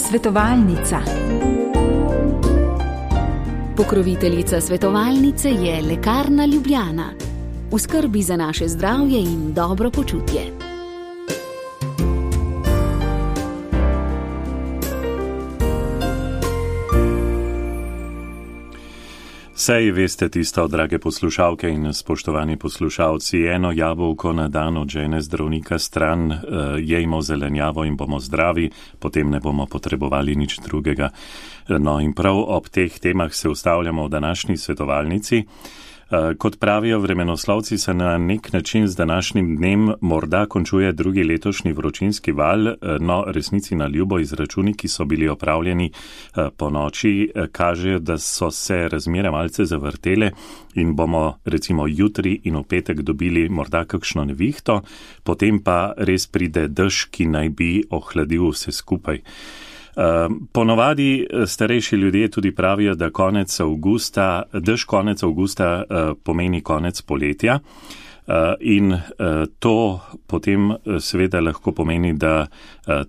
Svetovalnica. Pokroviteljica svetovalnice je Lekarna Ljubljana. V skrbi za naše zdravje in dobro počutje. Saj veste tisto, drage poslušalke in spoštovani poslušalci, eno jabolko na dan od žene zdravnika stran, jejmo zelenjavo in bomo zdravi, potem ne bomo potrebovali nič drugega. No in prav ob teh temah se ustavljamo v današnji svetovalnici. Kot pravijo vremenoslovci, se na nek način z današnjim dnem morda končuje drugi letošnji vročinski val, no resnici na ljubo izračuni, ki so bili opravljeni po noči, kažejo, da so se razmere malce zavrtele in bomo recimo jutri in v petek dobili morda kakšno nevihto, potem pa res pride dež, ki naj bi ohladil vse skupaj. Ponovadi starejši ljudje tudi pravijo, da dež konec avgusta pomeni konec poletja in to potem seveda lahko pomeni, da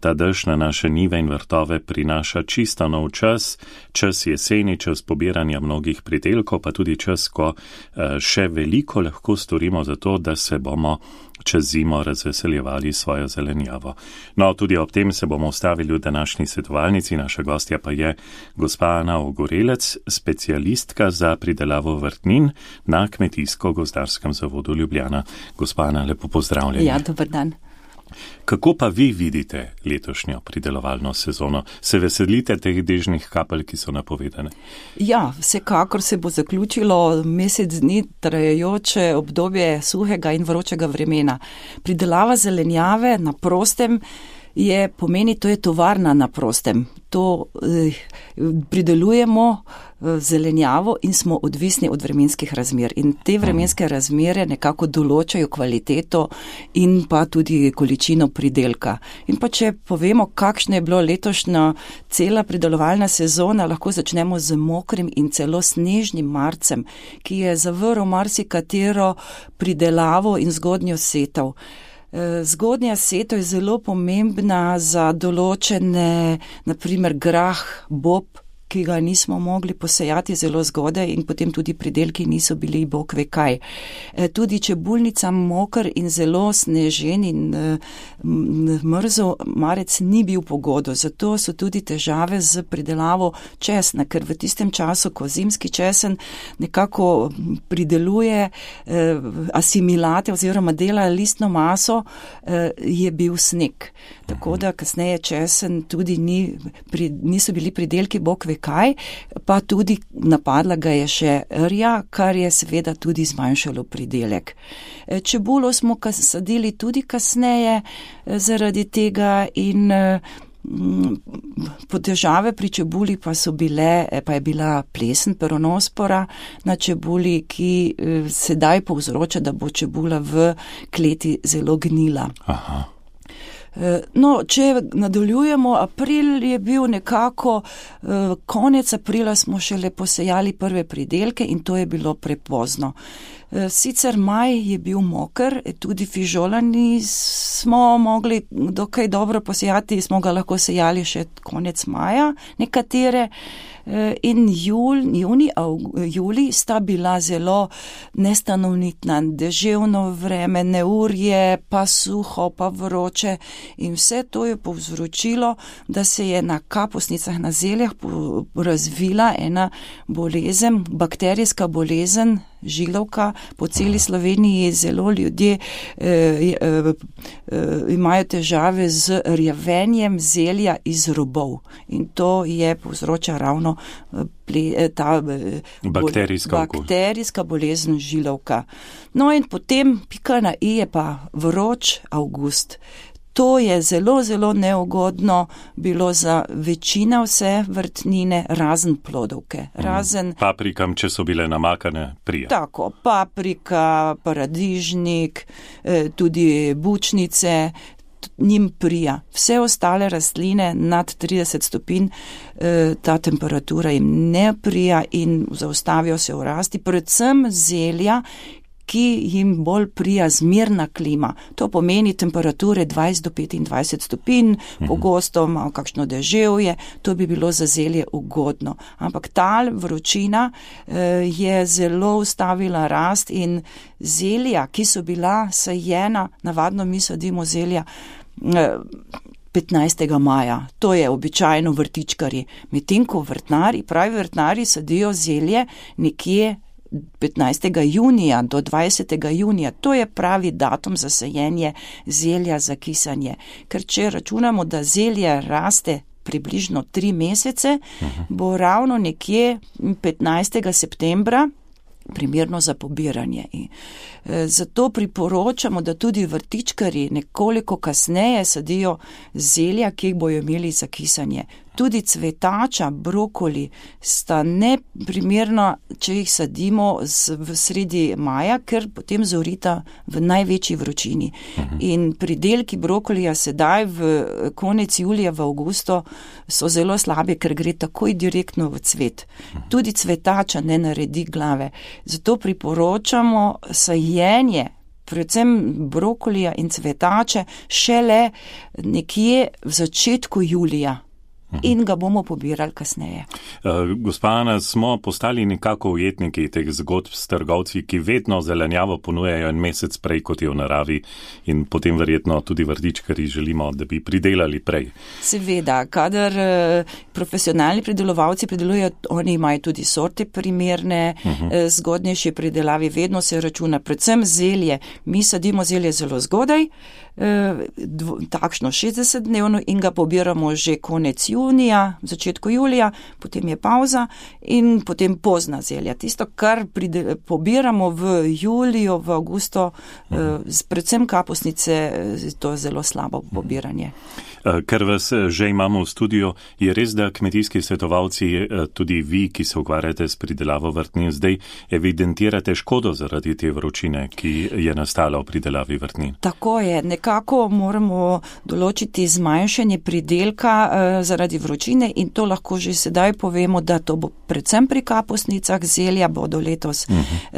ta dež na naše njive in vrtove prinaša čisto nov čas jeseni, čas pobiranja mnogih pridelkov, pa tudi čas, ko še veliko lahko storimo za to, da se bomo čez zimo razveseljevali svojo zelenjavo. No, tudi ob tem se bomo ustavili v današnji svetovalnici. Naša gostja pa je gospa Ana Ogorelec, specialistka za pridelavo vrtnin na Kmetijsko-gozdarskem zavodu Ljubljana. Gospa Ana, lepo pozdravljeni. Ja, dober dan. Kako pa vi vidite letošnjo pridelovalno sezono? Se veselite teh dežnih kapelj, ki so napovedane? Ja, vsekakor se bo zaključilo mesec dni trajajoče obdobje suhega in vročega vremena. Pridelava zelenjave na prostem pomeni, to je tovarna na prostem. To pridelujemo zelenjavo in smo odvisni od vremenskih razmer. In te vremenske razmere nekako določajo kvaliteto in pa tudi količino pridelka. In pa če povemo, kakšna je bilo letošnja cela pridelovalna sezona, lahko začnemo z mokrim in celo snežnim marcem, ki je zavrl marsikatero pridelavo in zgodnjo setev. Zgodnja setev je zelo pomembna za določene, naprimer grah, bob, ki ga nismo mogli posejati zelo zgodaj in potem tudi pridelki niso bili bog ve kaj. Tudi čebulnica moker in zelo snežen in mrzel marec ni bil pogodo, zato so tudi težave z pridelavo česna, ker v tistem času, ko zimski česen nekako prideluje asimilate oziroma dela listno maso, je bil sneg. Tako da kasneje česen tudi niso bili pridelki bog ve kaj, pa tudi napadla ga je še rja, kar je seveda tudi zmanjšalo pridelek. Čebulo smo sadili tudi kasneje zaradi tega in težave pri čebuli pa je bila plesen, peronospora na čebuli, ki sedaj povzroča, da bo čebula v kleti zelo gnila. Aha. No, če nadaljujemo, april je bil nekako, konec aprila smo šele posejali prve pridelke in to je bilo prepozno. Sicer maj je bil moker, tudi fižolani smo mogli dokaj dobro posejati, smo ga lahko sejali še konec maja, nekatere. In julij sta bila zelo nestanovitna, deževno vreme, neurje, pa suho, pa vroče in vse to je povzročilo, da se je na kapusnicah, na zeljah razvila ena bolezen, bakterijska bolezen, žilovka. Po celi Sloveniji zelo ljudje imajo težave z rjavenjem zelja iz robov in to je povzroča ravno ta bakterijska bolezen žilovka. No in potem pika na i je pa vroč avgust. To je zelo, zelo neugodno bilo za večina vse vrtnine, razen plodovke. Paprikam, če so bile namakane, prija. Tako, paprika, paradižnik, tudi bučnice, njim prija. Vse ostale rastline nad 30 stopinj, ta temperatura jim ne prija in zaustavijo se v rasti, predvsem zelja, ki jim bolj prija zmerna klima. To pomeni temperature 20 do 25 stopinj, pogosto malo kakšno deževje, to bi bilo za zelje ugodno. Ampak ta vročina je zelo ustavila rast in zelja, ki so bila sajena, navadno mi sadimo zelja 15. maja, to je običajno vrtičkarji. Medtem ko pravi vrtnari sadijo zelje nekje 15. junija do 20. junija. To je pravi datum za sajenje zelja, za kisanje. Ker če računamo, da zelje raste približno 3 mesece, bo ravno nekje 15. septembra primerno za pobiranje. Zato priporočamo, da tudi vrtičkarji nekoliko kasneje sadijo zelja, ki jih bojo imeli za kisanje. Tudi cvetača, brokoli sta neprimerna, če jih sadimo v sredi maja, ker potem zorita v največji vročini. In pridelki brokolija sedaj v konec julija, v avgustu so zelo slabi, ker gre takoj direktno v cvet. Tudi cvetača ne naredi glave. Zato priporočamo sajenje predvsem brokolija in cvetače šele nekje v začetku julija. In ga bomo pobirali kasneje. Gospa Ana, smo postali nekako ujetniki teh zgodb s trgovci, ki vedno zelenjavo ponujajo en mesec prej, kot je v naravi, in potem verjetno tudi vrtičkarji želimo, da bi pridelali prej. Seveda, kadar profesionalni pridelovalci pridelujejo, oni imajo tudi sorte primerne, zgodnejše pridelavi, vedno se računa, predvsem zelje. Mi sadimo zelje zelo zgodaj, takšno 60-dnevno in ga pobiramo že konec junija, v začetku julija, potem je pauza in potem pozna zelja. Tisto, kar pobiramo v juliju, v avgustu, predvsem kapusnice, to je zelo slabo pobiranje. Ker vas že imamo v studiu, je res, da kmetijski svetovalci, tudi vi, ki se ukvarjate s pridelavo vrtnin, zdaj evidentirate škodo zaradi te vročine, ki je nastala v pridelavi vrtnin? Tako je, nekako moramo določiti zmanjšanje pridelka zaradi vročine in to lahko že sedaj povemo, da to bo predvsem pri kapusnicah, zelja bodo letos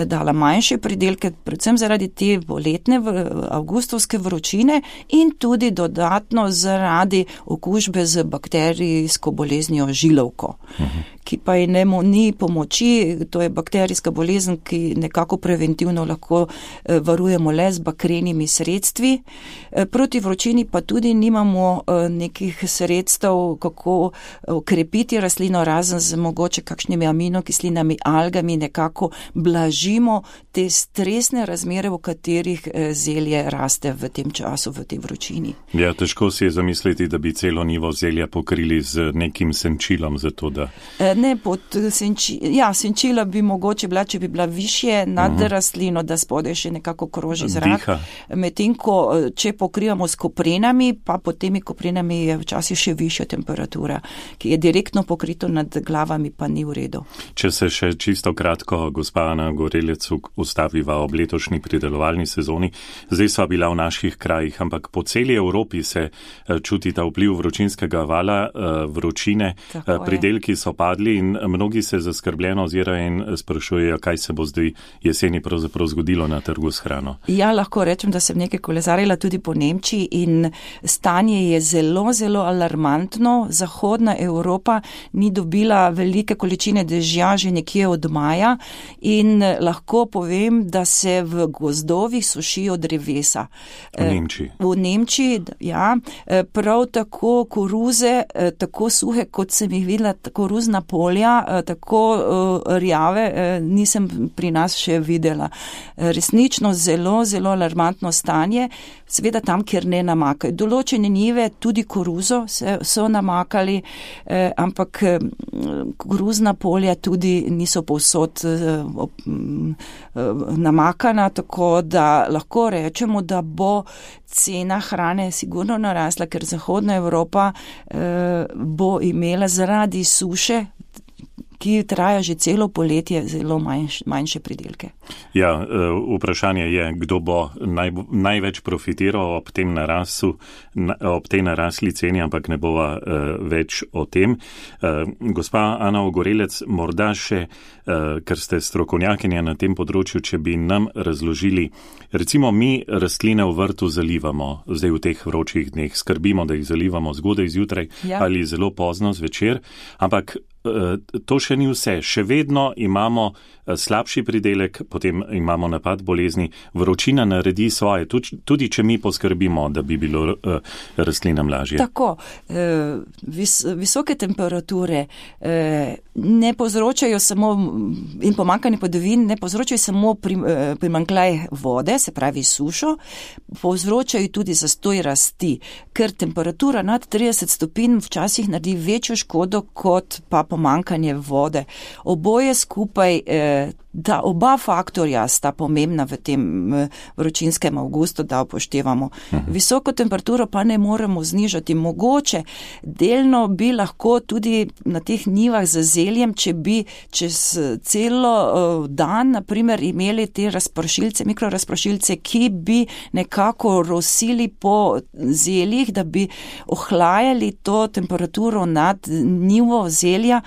dala manjše pridelke, predvsem zaradi te poletne avgustovske vročine in tudi dodatno zaradi okužbe z bakterijsko boleznijo žilovko, ki pa ni pomoči, to je bakterijska bolezen, ki nekako preventivno lahko varujemo le z bakrenimi sredstvi. Proti vročini pa tudi nimamo nekih sredstev, kako okrepiti rastlino, razen z mogoče kakšnimi aminokislinami, algami, nekako blažimo te stresne razmere, v katerih zelje raste v tem času, v tej vročini. Ja, težko si je zamisliti, da bi celo nivo zelja pokrili z nekim senčilom, zato da... senčila bi mogoče bila, če bi bila višje nad rastlino, da spodaj še nekako kroži zrak. Medtem ko, če pokrivamo s koprenami, pa pod temi koprenami je včasih še višja temperatura, ki je direktno pokrito nad glavami, pa ni v redu. Če se še čisto kratko, gospa Ana Gorelec, ustaviva ob letošnji pridelovalni sezoni, zdaj sva bila v naših krajih, ampak po celi Evropi se čuti ta vpliv vročinskega vala, vročine, pridelki so padli in mnogi se zaskrbljeno ozirajo in sprašujejo, kaj se bo zdaj jeseni pravzaprav zgodilo na trgu s hrano. Ja, lahko rečem, da sem nekaj kolesarila tudi po Nemčiji in stanje je zelo, zelo alarmantno. Zahodna Evropa ni dobila velike količine dežja že nekje od maja in lahko povem, da se v gozdovih sušijo drevesa. V Nemčiji, ja. Prav tako koruze, tako suhe, kot sem jih videla, koruzna polja, tako rjave, nisem pri nas še videla. Resnično zelo, zelo alarmantno stanje, seveda tam, kjer ne namakajo. Določene njive, tudi koruzo so namakali, ampak koruzna polja tudi niso povsod namakana, tako da lahko rečemo, da bo cena hrane sigurno narasla, ker Zahodna Evropa bo imela zaradi suše ki traja že celo poletje, zelo manjše pridelke. Ja, vprašanje je, kdo bo največ profitiral ob tej narasli ceni, ampak ne bova več o tem. Gospa Ana Ogorelec, morda še, ker ste strokovnjakinja na tem področju, če bi nam razložili, recimo mi rastline v vrtu zalivamo, zdaj v teh vročih dneh skrbimo, da jih zalivamo zgodaj zjutraj ali zelo pozno zvečer, ampak to še ni vse. Še vedno imamo slabši pridelek, potem imamo napad bolezni. Vročina naredi svoje, tudi če mi poskrbimo, da bi bilo rastlinam lažje. Tako, visoke temperature ne povzročajo samo in pomanjkanje padavin, ne povzročajo samo primanjkljaj vode, se pravi sušo, povzročajo tudi zastoj rasti, ker temperatura nad 30 stopinj včasih naredi večjo škodo kot pa pomanjkanje vode. Oboje skupaj, da oba faktorja sta pomembna v tem vročinskem avgustu, da upoštevamo. Visoko temperaturo pa ne moremo znižati. Mogoče delno bi lahko tudi na teh njivah z zeljem, če bi čez celo dan, naprimer, imeli te razpršilce, mikrorazpršilce, ki bi nekako rosili po zeljih, da bi ohlajali to temperaturo nad njivo zelja.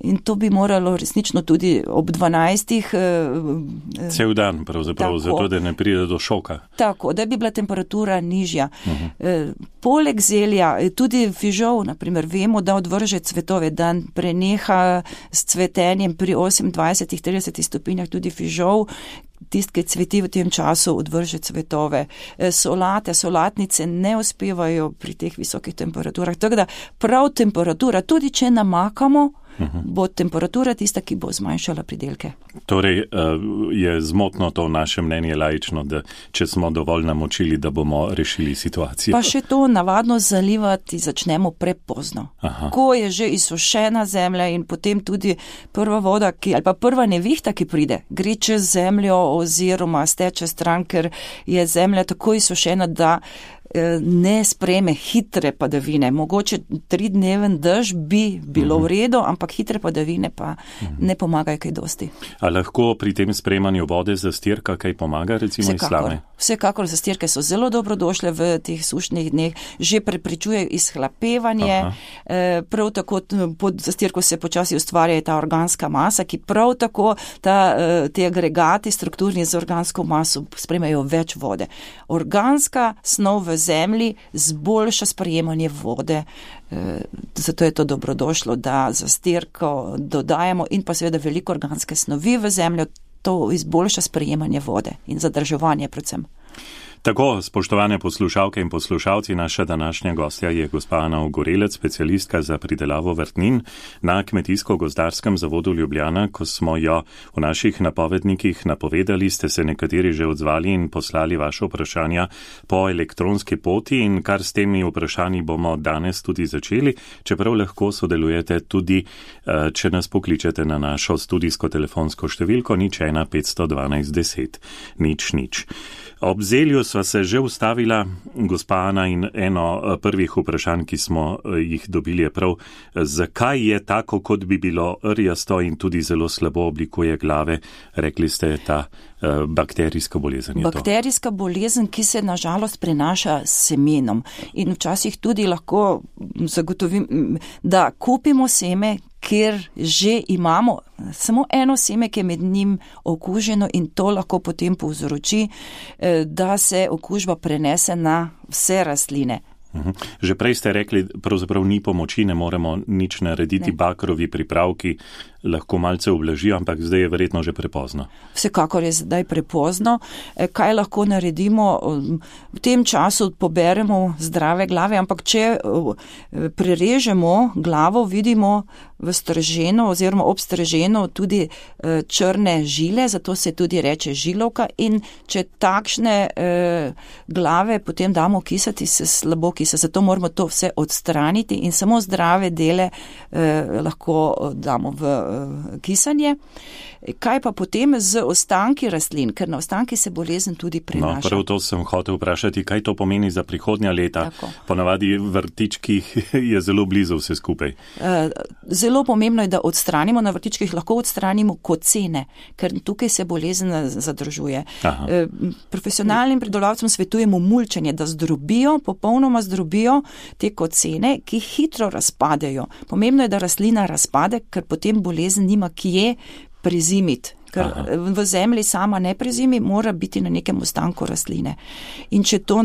In to bi moralo resnično tudi ob 12. Cel dan pravzaprav, zato da ne pride do šoka. Tako, da bi bila temperatura nižja. Poleg zelja, tudi fižol, naprimer, vemo, da odvrže cvetove, da preneha s cvetenjem pri 28-30 stopinjah tudi fižol, tist, ki cveti v tem času, odvrže cvetove. Solatnice ne uspevajo pri teh visokih temperaturah. Tako da prav temperatura, tudi če namakamo, bo temperatura tista, ki bo zmanjšala pridelke. Torej je zmotno to naše mnenje laično, da če smo dovolj namočili, da bomo rešili situacijo. Pa še to navadno zalivati začnemo prepozno. Ko je že izsušena zemlja in potem tudi prva voda, ali pa prva nevihta, ki pride, gre čez zemljo oziroma steče stran, ker je zemlja tako izsušena, da ne sprejme hitre padavine. Mogoče 3-dneven dež bi bilo v redu, ampak hitre padavine pa ne pomagajo kaj dosti. A lahko pri tem sprejemanju vode zastirka kaj pomaga, recimo iz slame? Vsekakor zastirke so zelo dobrodošle v teh sušnih dneh, že preprečujejo izhlapevanje, prav tako pod zastirko se počasi ustvarja ta organska masa, ki prav tako te agregati strukturni z organsko maso sprejmejo več vode. Organska snov v zemlji zboljša sprejemanje vode, zato je to dobrodošlo, da zastirko dodajamo in pa seveda veliko organske snovi v zemljo, to izboljša sprejemanje vode in zadrževanje predvsem. Tako, spoštovane poslušalke in poslušalci, naša današnja gostja je gospa Ana Ogorelec, specialistka za pridelavo vrtnin na Kmetijsko-gozdarskem zavodu Ljubljana. Ko smo jo v naših napovednikih napovedali, ste se nekateri že odzvali in poslali vaše vprašanja po elektronski poti in kar s temi vprašanji bomo danes tudi začeli, čeprav lahko sodelujete tudi, če nas pokličete na našo studijsko telefonsko številko 01 512 10 00. Ob zelju sva se že ustavila, gospa Ana, in eno prvih vprašanj, ki smo jih dobili, je prav, zakaj je tako, kot bi bilo rjasto in tudi zelo slabo oblikuje glave, rekli ste, ta bakterijska bolezen je to. Bakterijska bolezen, ki se nažalost prenaša s semenom in včasih tudi lahko zagotovim, da kupimo seme, kjer že imamo samo eno seme, ki je med njim okuženo in to lahko potem povzroči, da se okužba prenese na vse rastline. Že prej ste rekli, pravzaprav ni pomoči, ne moremo nič narediti, bakrovi pripravki lahko malce ublažijo, ampak zdaj je verjetno že prepozno. Vsekakor je zdaj prepozno. Kaj lahko naredimo? V tem času poberemo zdrave glave, ampak če prerežemo glavo, vidimo v strženo oziroma ob strženo tudi črne žile, zato se tudi reče žilovka, in če takšne glave potem damo kisati, se slabo kisa, zato moramo to vse odstraniti in samo zdrave dele lahko damo v kisanje. Kaj pa potem z ostanki rastlin, ker na ostanki se bolezen tudi prenaša. No, prav to sem hotel vprašati, kaj to pomeni za prihodnja leta. Tako. Ponavadi vrtičkih je zelo blizu vse skupaj. Zelo pomembno je, da odstranimo, na vrtičkih lahko odstranimo kocene, ker tukaj se bolezen zadržuje. Profesionalnim pridelovalcem svetujemo mulčenje, da zdrobijo, popolnoma zdrobijo te kocene, ki hitro razpadejo. Pomembno je, da rastlina razpade, ker potem bolezen nima kje prezimiti, ker v zemlji sama ne prezimi, mora biti na nekem ostanku rastline. In če to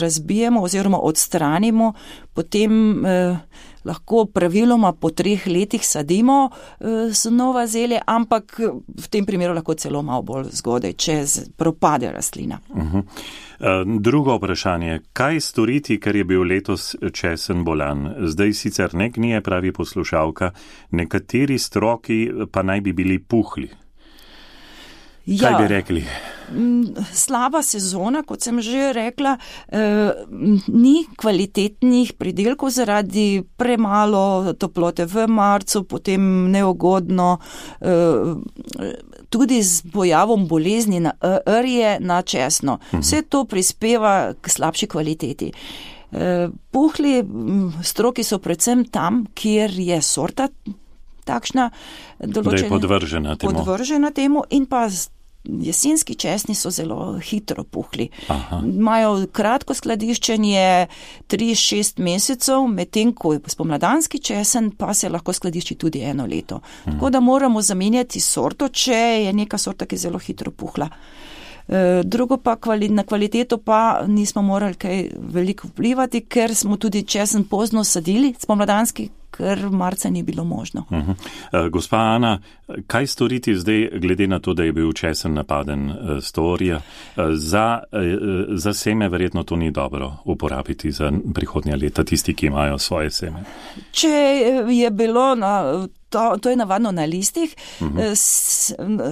razbijemo oziroma odstranimo, potem lahko praviloma po 3 letih sadimo nova zelje, ampak v tem primeru lahko celo malo bolj zgodaj, če propade rastlina. Drugo vprašanje, kaj storiti, ker je bil letos česen bolan? Zdaj sicer ne gnije, pravi poslušalka, nekateri stroki pa naj bi bili puhli. Kaj bi rekli? Slaba sezona, kot sem že rekla, ni kvalitetnih pridelkov zaradi premalo toplote v marcu, potem neugodno, tudi z pojavom bolezni na rje, na česno. Vse to prispeva k slabši kvaliteti. Puhli stroki so predvsem tam, kjer je sorta takšna, določena, da je podvržena temu in pa jesenski česni so zelo hitro puhli. Imajo kratko skladiščenje 3-6 mesecev, medtem ko spomladanski česen pa se lahko skladišči tudi 1 leto. Tako da moramo zamenjati sorto, če je neka sorta, ki je zelo hitro puhla. Drugo pa na kvaliteto pa nismo morali kaj veliko vplivati, ker smo tudi česen pozno sadili, spomladanski, ker marca ni bilo možno. Gospa Ana, kaj storiti zdaj, glede na to, da je bil česen napaden s torija? Za seme verjetno to ni dobro uporabiti za prihodnja leta, tisti, ki imajo svoje seme. Če je bilo to je navadno na listih,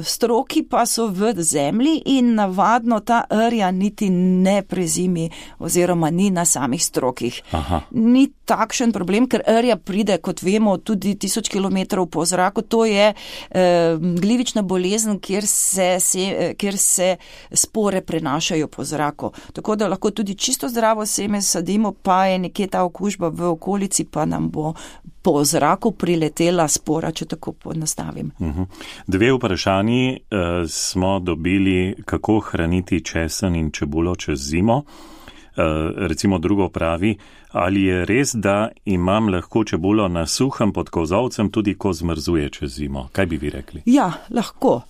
stroki pa so v zemlji in navadno ta rja niti ne prezimi oziroma ni na samih strokih. Ni takšen problem, ker rja pride, kot vemo, tudi 1000 kilometrov po zraku. To je glivična bolezen, kjer se spore prenašajo po zraku. Tako da lahko tudi čisto zdravo seme sadimo, pa je nekje ta okužba v okolici, pa nam bo po zraku priletela spora, če tako ponastavim. 2 vprašanji smo dobili, kako hraniti česen in čebulo čez zimo. Recimo drugo pravi, ali je res, da imam lahko čebulo na suhem pod kozolcem, tudi ko zmrzuje čez zimo? Kaj bi vi rekli? Ja, lahko.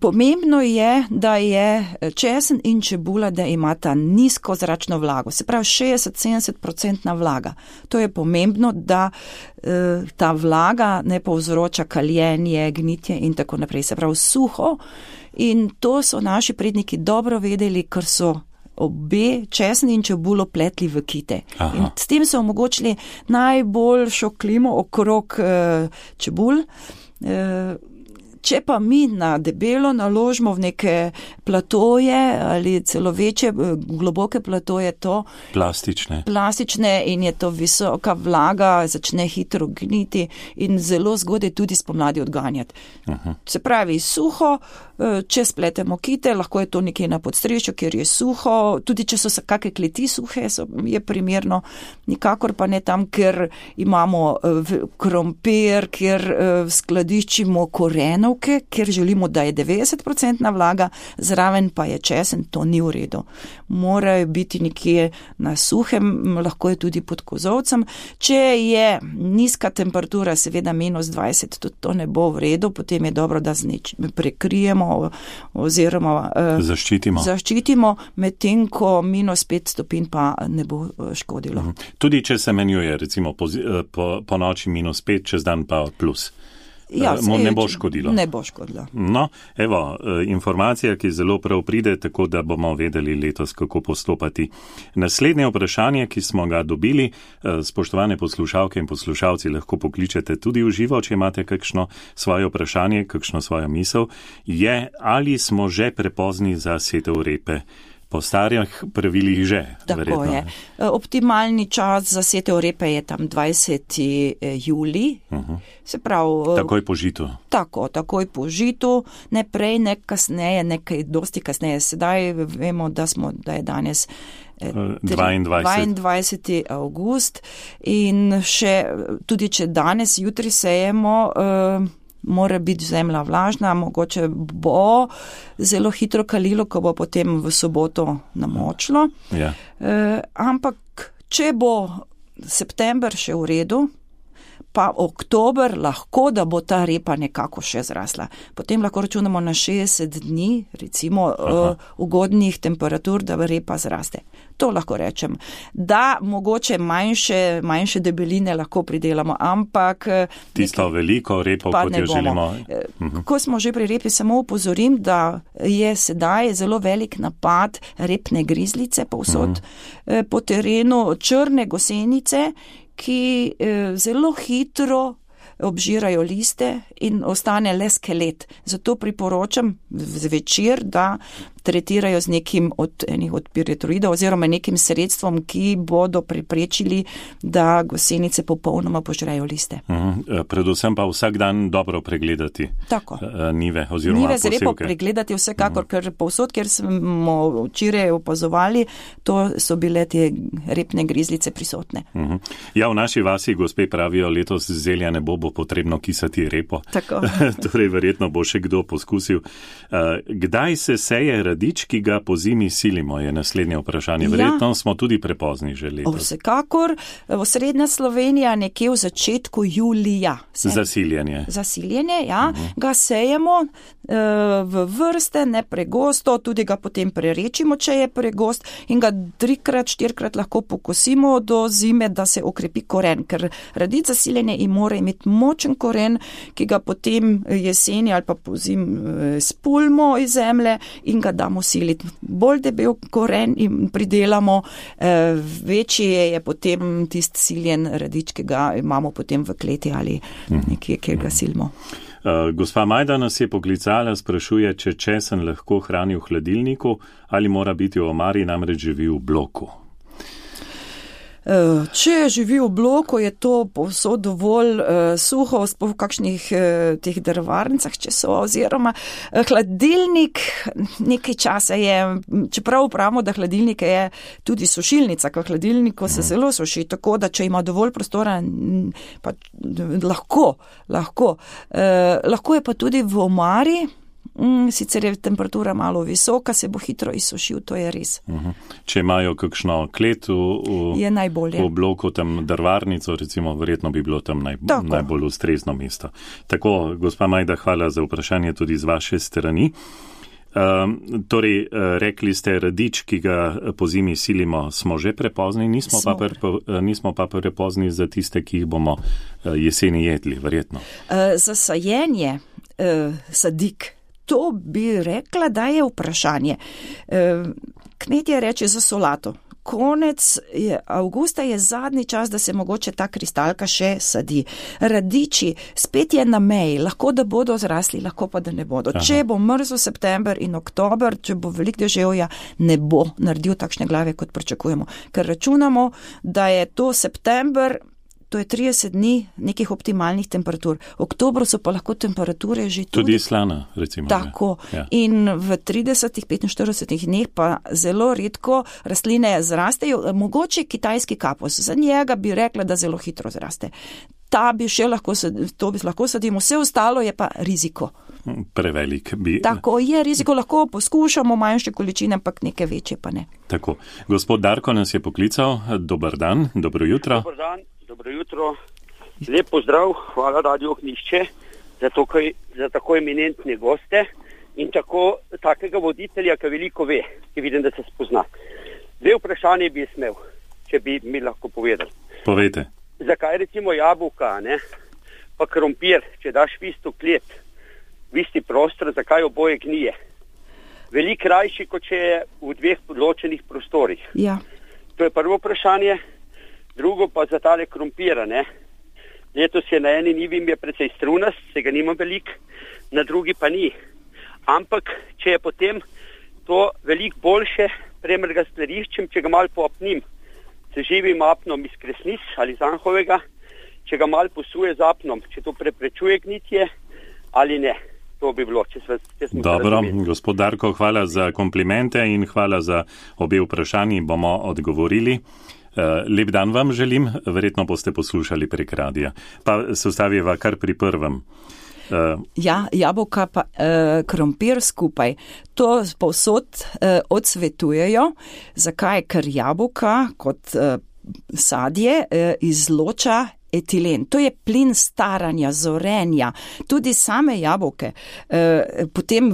Pomembno je, da je česen in čebula, da imata nizko zračno vlago, se pravi 60-70% vlaga. To je pomembno, da ta vlaga ne povzroča kaljenje, gnitje in tako naprej. Se pravi suho, in to so naši predniki dobro vedeli, ker so obe česen in čebulo pletli v kite. In s tem so omogočili najboljšo klimo okrog čebul. Če pa mi na debelo naložimo v neke platoje ali celo večje, globoke platoje, to plastične in je to visoka vlaga, začne hitro gniti in zelo zgodaj tudi spomladi odganjati. Se pravi, suho, če spletemo kite, lahko je to nekje na podstrešju, kjer je suho, tudi če so kakšne kleti suhe, je primerno, nikakor pa ne tam, ker imamo krompir, kjer skladiščimo korenovke, kjer želimo, da je 90% vlaga, zraven pa je česen, to ni v redu. Morajo biti nekje na suhem, lahko je tudi pod kozolcem. Če je nizka temperatura, seveda -20, tudi to ne bo v redu, potem je dobro, da prekrijemo oziroma zaščitimo, medtem ko -5 stopinj pa ne bo škodilo. Tudi če se menjuje, recimo po noči -5, čez dan pa plus. Ja, ne bo škodilo. Ne bo škodilo. No, evo, informacija, ki zelo prav pride, tako da bomo vedeli letos, kako postopati. Naslednje vprašanje, ki smo ga dobili, spoštovane poslušalke in poslušalci, lahko pokličete tudi v živo, če imate kakšno svoje vprašanje, kakšno svojo misel, je, ali smo že prepozni za setev repe. Po starih pravilih že, tako verjetno. Je. Optimalni čas za setev repe je tam 20. julij. Se pravi, takoj po žitu. Takoj po žitu, ne prej, ne kasneje, nekaj dosti kasneje. Sedaj vemo, da je danes 22. avgust in še tudi, če danes, jutri sejemo, mora biti zemlja vlažna, mogoče bo zelo hitro kalilo, ko bo potem v soboto namočilo. Ja. Ampak, če bo september še v redu, pa oktober lahko, da bo ta repa nekako še zrasla. Potem lahko računamo na 60 dni, recimo ugodnih temperatur, da repa zraste. To lahko rečem. Da, mogoče manjše debeline lahko pridelamo, ampak... Tisto veliko repo, kot jo želimo. Ko smo že pri repi, samo upozorim, da je sedaj zelo velik napad repne grizlice povsod po terenu, črne gosenice, ki zelo hitro obžirajo liste in ostane le skelet. Zato priporočam zvečer, da tretirajo z nekim od piretoidov oziroma nekim sredstvom, ki bodo preprečili, da gosenice popolnoma požrejo liste. Predvsem pa vsak dan dobro pregledati njive oziroma njive posevke. Zrepo pregledati vsekakor, ker povsod, kjer smo včeraj opazovali, to so bile te repne grizlice prisotne. Ja, v naši vasi, gospe, pravijo, letos zelja ne bo potrebno kisati repo. Tako. Torej, verjetno bo še kdo poskusil. Kdaj se seje radič, ki ga po zimi silimo, je naslednje vprašanje. Verjetno smo tudi prepozni že letos. Vsekakor, osrednja Slovenija nekje v začetku julija. Zasiljenje, ja. Ga sejemo v vrste, ne pregosto, tudi ga potem prerečimo, če je pregost, in ga 3-krat, 4-krat lahko pokosimo do zime, da se okrepi koren, ker radič zasiljenje mora imeti močen koren, ki ga potem jeseni ali pa pozim spulmo iz zemlje in ga damo siliti. Bolj debel koren in pridelamo, večji je potem tist siljen radič, ki ga imamo potem v kleti ali nekje, kjer ga silimo. Gospa Majda nas je poklicala, sprašuje, če česen lahko hrani v hladilniku ali mora biti v omari, namreč živi v bloku. Če živi v bloku, je to povsod dovolj suho, v kakšnih teh drvarnicah, če so, oziroma hladilnik nekaj časa je, čeprav pravimo, da hladilnik je tudi sušilnica, ko hladilniku se zelo suši, tako da če ima dovolj prostora, pa lahko. Lahko je pa tudi v omari. Sicer je temperatura malo visoka, se bo hitro izsušil, to je res. Če imajo kakšno klet v bloku, tam drvarnico, recimo, verjetno bi bilo tam najbolj ustrezno mesto. Tako, gospa Majda, hvala za vprašanje tudi z vaše strani. Torej, rekli ste, radič, ki ga po zimi silimo, smo že prepozni, nismo pa prepozni za tiste, ki jih bomo jeseni jedli, verjetno. Za sajenje sadik, to bi rekla, da je vprašanje. Kmetje reče za solato. Konec avgusta je zadnji čas, da se mogoče ta kristalka še sadi. Radiči, spet je na meji, lahko da bodo zrasli, lahko pa da ne bodo. Če bo mrzel september in oktober, če bo velik deževja, ne bo naredil takšne glave, kot pričakujemo. Ker računamo, da je to september, to je 30 dni nekih optimalnih temperatur. V oktobru so pa lahko temperature že tudi slana, recimo. Tako. Ja. In v 30-45 dneh pa zelo redko rastline zrastejo, mogoče kitajski kapus. Za njega bi rekla, da zelo hitro zraste. To bi lahko sadimo, vse ostalo je pa riziko. Prevelik bi. Tako je riziko, lahko poskušamo manjše količine, ampak neke večje pa ne. Tako. Gospod Darko nas je poklical. Dobar dan, dobro jutro. Dobar dan. Dobro jutro, lep pozdrav, hvala Radio Ognjišče za tako eminentne goste in takega voditelja, ki veliko ve, ki vidim, da se spozna. Dve vprašanje bi smel, če bi mi lahko povedali. Povejte. Zakaj recimo jabolka, pa krompir, če daš v isto klet, v isti prostor, zakaj oboje gnije? Veliko krajši, kot če je v dveh ločenih prostorih. Ja. To je prvo vprašanje. Drugo pa za tale krompira, Letos je na eni njivi je precej strunast, se ga nima veliko, na drugi pa ni. Ampak, če je potem to veliko boljše, primer ga skladiščim, če ga malo popnim s živim apnom iz kresnic ali zanhovega, če ga malo posuje z apnom, če to preprečuje gnitje ali ne. To bi bilo, če smo Dobro, gospod Darko, hvala za komplimente in hvala za obe vprašanji, bomo odgovorili. Lep dan vam želim, verjetno boste poslušali prek radija. Pa se ustaviva kar pri prvem. Jabolka pa krompir skupaj. To povsod odsvetujejo. Zakaj? Ker jabolka kot sadje izloča etilen. To je plin staranja, zorenja. Tudi same jabolke, potem,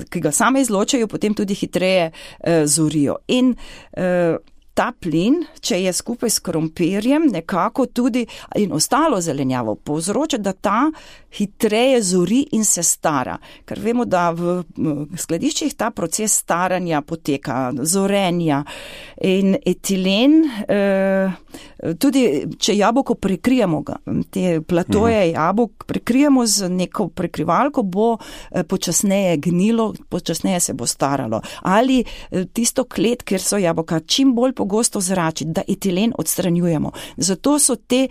ki ga same izločajo, potem tudi hitreje zorijo. In ta plin, če je skupaj s krompirjem, nekako tudi in ostalo zelenjavo povzroča, da ta hitreje zori in se stara. Ker vemo, da v skladiščih ta proces staranja poteka, zorenja in etilen, tudi če jabolko prekrijemo ga, te platoje jabolk prekrijemo z neko prekrivalko, bo počasneje gnilo, počasneje se bo staralo. Ali tisto klet, kjer so jabolka, čim bolj pogosto zračiti, da etilen odstranjujemo. Zato so te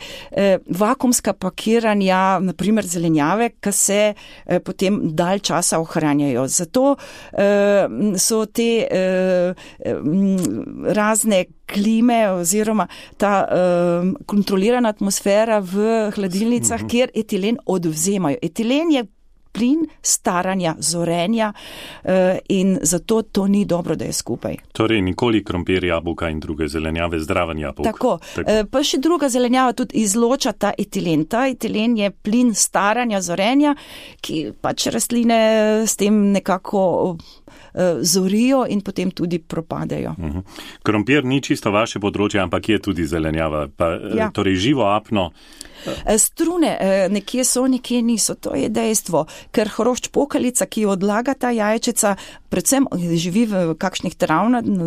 vakuumska pakiranja, naprimer zelenjave, ki se potem dalj časa ohranjajo. Zato so te razne klime oziroma ta kontrolirana atmosfera v hladilnicah, kjer etilen odvzemajo. Etilen je plin staranja, zorenja in zato to ni dobro, da je skupaj. Torej nikoli krompir, jabolka in druge zelenjave, zdraven jabolk. Tako. Pa še druga zelenjava tudi izloča ta etilen. Ta etilen je plin staranja, zorenja, ki pač rastline s tem nekako zorijo in potem tudi propadejo. Krompir ni čisto vaše področje, ampak je tudi zelenjava. Torej živo apno. Strune nekje so, nekje niso, to je dejstvo, ker hrošč pokalica, ki odlaga ta jajčeca, predvsem živi v kakšnih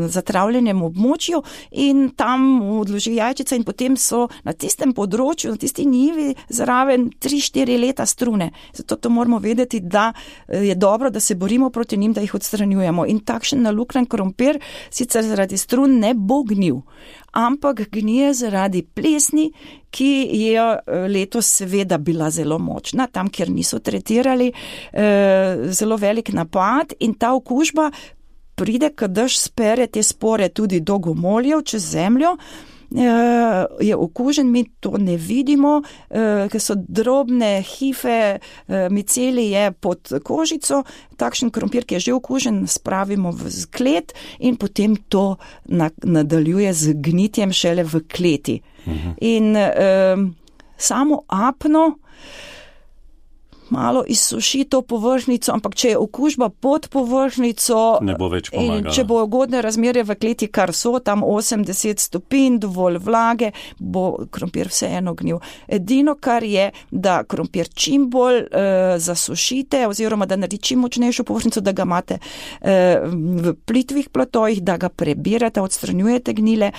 zatravljenem območju in tam odloži jajčeca in potem so na tistem področju, na tisti njivi zraven 3-4 leta strune. Zato to moramo vedeti, da je dobro, da se borimo proti njim, da jih odstranjujemo. In takšen naluknjen krompir sicer zaradi strun ne bo gnil, ampak gnije zaradi plesni, ki je letos seveda bila zelo močna, tam, kjer niso tretirali, zelo velik napad in ta okužba pride, kad dež spere te spore tudi do gomoljev čez zemljo, je okužen, mi to ne vidimo, ker so drobne hife, micelije pod kožico, takšen krompir, ki je že okužen, spravimo v klet in potem to nadaljuje z gnitjem šele v kleti. In samo apno malo izsuši to površnico, ampak če je okužba pod površnico, ne bo več pomagala. Če bo ugodne razmerje v kleti, kar so tam 80 stopinj, dovolj vlage, bo krompir vseeno gnil. Edino, kar je, da krompir čim bolj zasušite oziroma da naredi čim močnejšo površnico, da ga imate v plitvih platojih, da ga prebirate, odstranjujete gnile,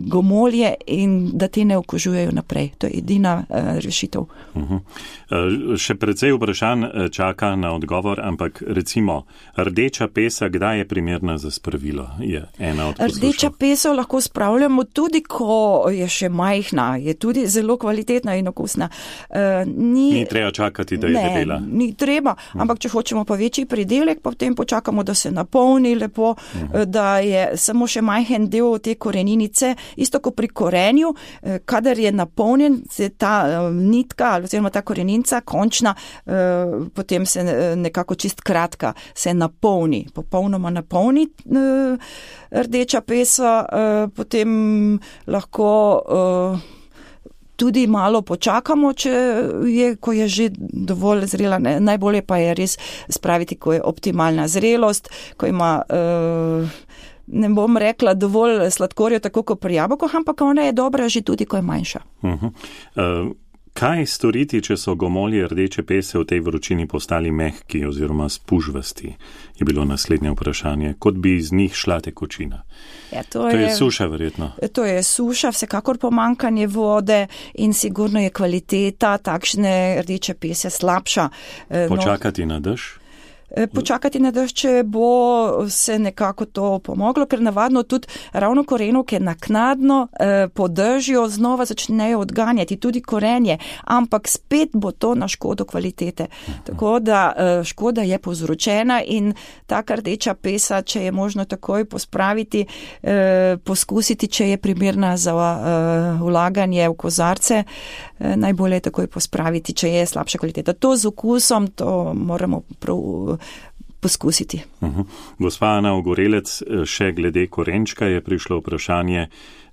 gomolje in da te ne okužujejo naprej. To je edina rešitev. Še precej vprašanj čaka na odgovor, ampak recimo rdeča pesa, kdaj je primerna za spravilo? Je ena od poslušal. Rdeča pesa lahko spravljamo tudi, ko je še majhna, je tudi zelo kvalitetna in okusna. Ni treba čakati, da je debela. Ni treba, ampak če hočemo pa večji pridelek, potem počakamo, da se napolni lepo, da je samo še majhen del te koreninice, isto kot pri korenju, kadar je napolnjen, se ta nitka oziroma ta korenica končna, potem se nekako čist kratka se napolni, popolnoma napolni rdeča pesa, potem lahko tudi malo počakamo, ko je že dovolj zrela. Najbolje pa je res spraviti, ko je optimalna zrelost, ko ima ne bom rekla dovolj sladkorja, tako kot pri jabolkih, ampak ona je dobra že tudi, ko je manjša. Kaj storiti, če so gomolje rdeče pese v tej vročini postali mehki oziroma spužvasti? Je bilo naslednje vprašanje. Kot bi iz njih šla tekočina. To je suša verjetno. To je suša, vsekakor pomanjkanje vode in sigurno je kvaliteta takšne rdeče pese slabša. Počakati na dež? počakati na dež, če bo se nekako to pomoglo, ker navadno tudi ravno korenovke naknadno po dežju znova začnejo odganjati, tudi korenje, ampak spet bo to na škodo kvalitete. Tako da škoda je povzročena in taka rdeča pesa, če je možno takoj pospraviti, poskusiti, če je primerna za vlaganje v kozarce, najbolje je takoj pospraviti, če je slabša kvaliteta. To z okusom, to moramo prav poskusiti. Gospa Ana Ogorelec, še glede korenčka je prišlo vprašanje,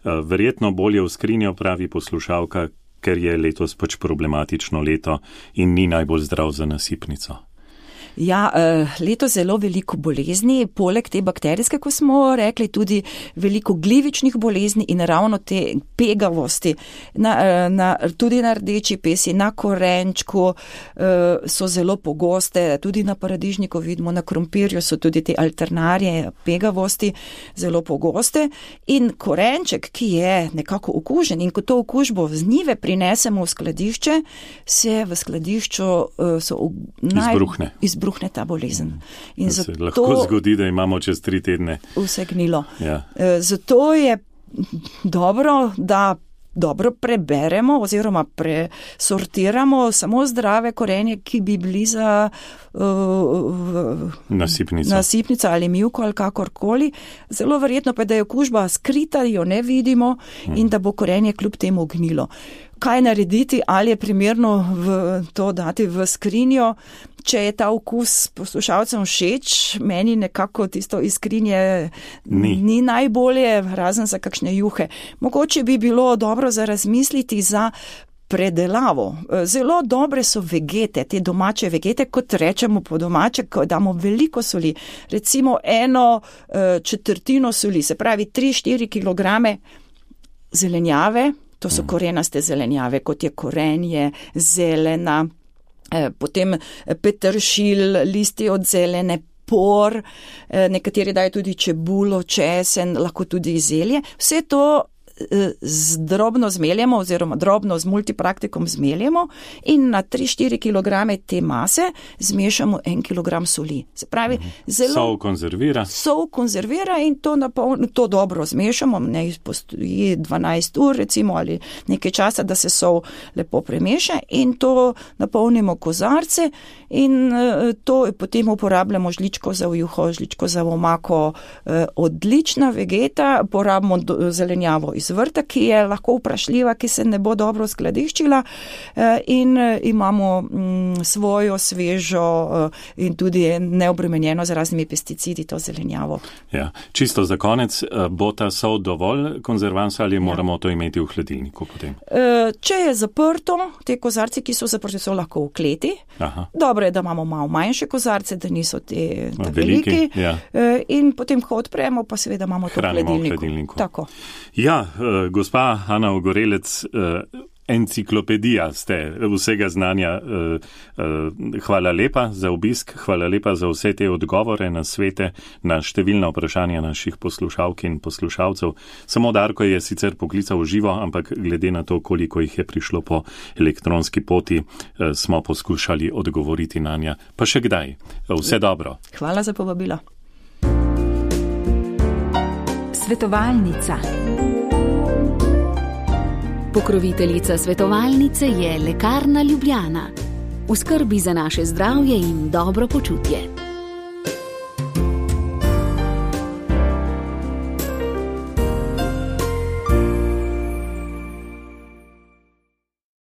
verjetno bolje v skrinjo, pravi poslušalka, ker je letos pač problematično leto in ni najbolj zdrav za nasipnico. Ja, leto zelo veliko bolezni, poleg te bakterijske, ko smo rekli, tudi veliko glivičnih bolezni in ravno te pegavosti, tudi na rdeči pesi, na korenčku so zelo pogoste, tudi na paradižniku vidimo, na krompirju so tudi te alternarije pegavosti zelo pogoste in korenček, ki je nekako okužen in ko to okužbo z njive prinesemo v skladišče, se v skladišču izbruhne ta bolezen. In se lahko zgodi, da imamo čez 3 tedne vse gnilo. Ja. Zato je dobro, da dobro preberemo oziroma presortiramo samo zdrave korenje, ki bi bili za nasipnica ali mivko ali kakorkoli. Zelo verjetno pa, da je okužba skrita, jo ne vidimo in da bo korenje kljub temu gnilo. Kaj narediti, ali je primerno to dati v skrinjo, če je ta okus poslušalcem všeč, meni nekako tisto iz skrinje ni najbolje, razen za kakšne juhe. Mogoče bi bilo dobro za razmisliti za predelavo. Zelo dobre so vegete, te domače vegete, kot rečemo po domače, ko damo veliko soli, recimo 1/4 soli, se pravi 3-4 kilograme zelenjave, to so korenaste zelenjave, kot je korenje, zelena, potem peteršilj, listi od zelene, por, nekateri dajo tudi čebulo, česen, lahko tudi zelje. Vse to drobno zmeljemo oziroma drobno z multipraktikom zmeljemo in na 3-4 kilograme te mase zmešamo 1 kilogram soli. Se pravi, sol konzervira in to dobro zmešamo, ne postoji 12 ur recimo ali nekaj časa, da se sol lepo premeša in to napolnimo kozarce in to potem uporabljamo žličko za juho, žličko za omako, odlična vegeta, porabimo zelenjavo iz vrta, ki je lahko vprašljiva, ki se ne bo dobro skladiščila in imamo svojo svežo in tudi neobremenjeno z raznimi pesticidi to zelenjavo. Ja, čisto za konec, bo ta sol dovolj konzervansa ali moramo to imeti v hladilniku potem? Če je zaprto, te kozarci, ki so zaprti, so lahko v kleti. Aha. Dobro je, da imamo malo manjše kozarce, da niso te veliki. Ja. In potem, ko odpremo, pa seveda imamo to v hladilniku. Tako. Ja, gospa Ana Ogorelec, enciklopedija ste vsega znanja. Hvala lepa za obisk, hvala lepa za vse te odgovore na svete, na številna vprašanja naših poslušalk in poslušalcev. Samo Darko je sicer poklical v živo, ampak glede na to, koliko jih je prišlo po elektronski poti, smo poskušali odgovoriti na nja. Pa še kdaj. Vse dobro. Hvala za povabilo. Svetovalnica. Pokroviteljica svetovalnice je Lekarna Ljubljana. V skrbi za naše zdravje in dobro počutje.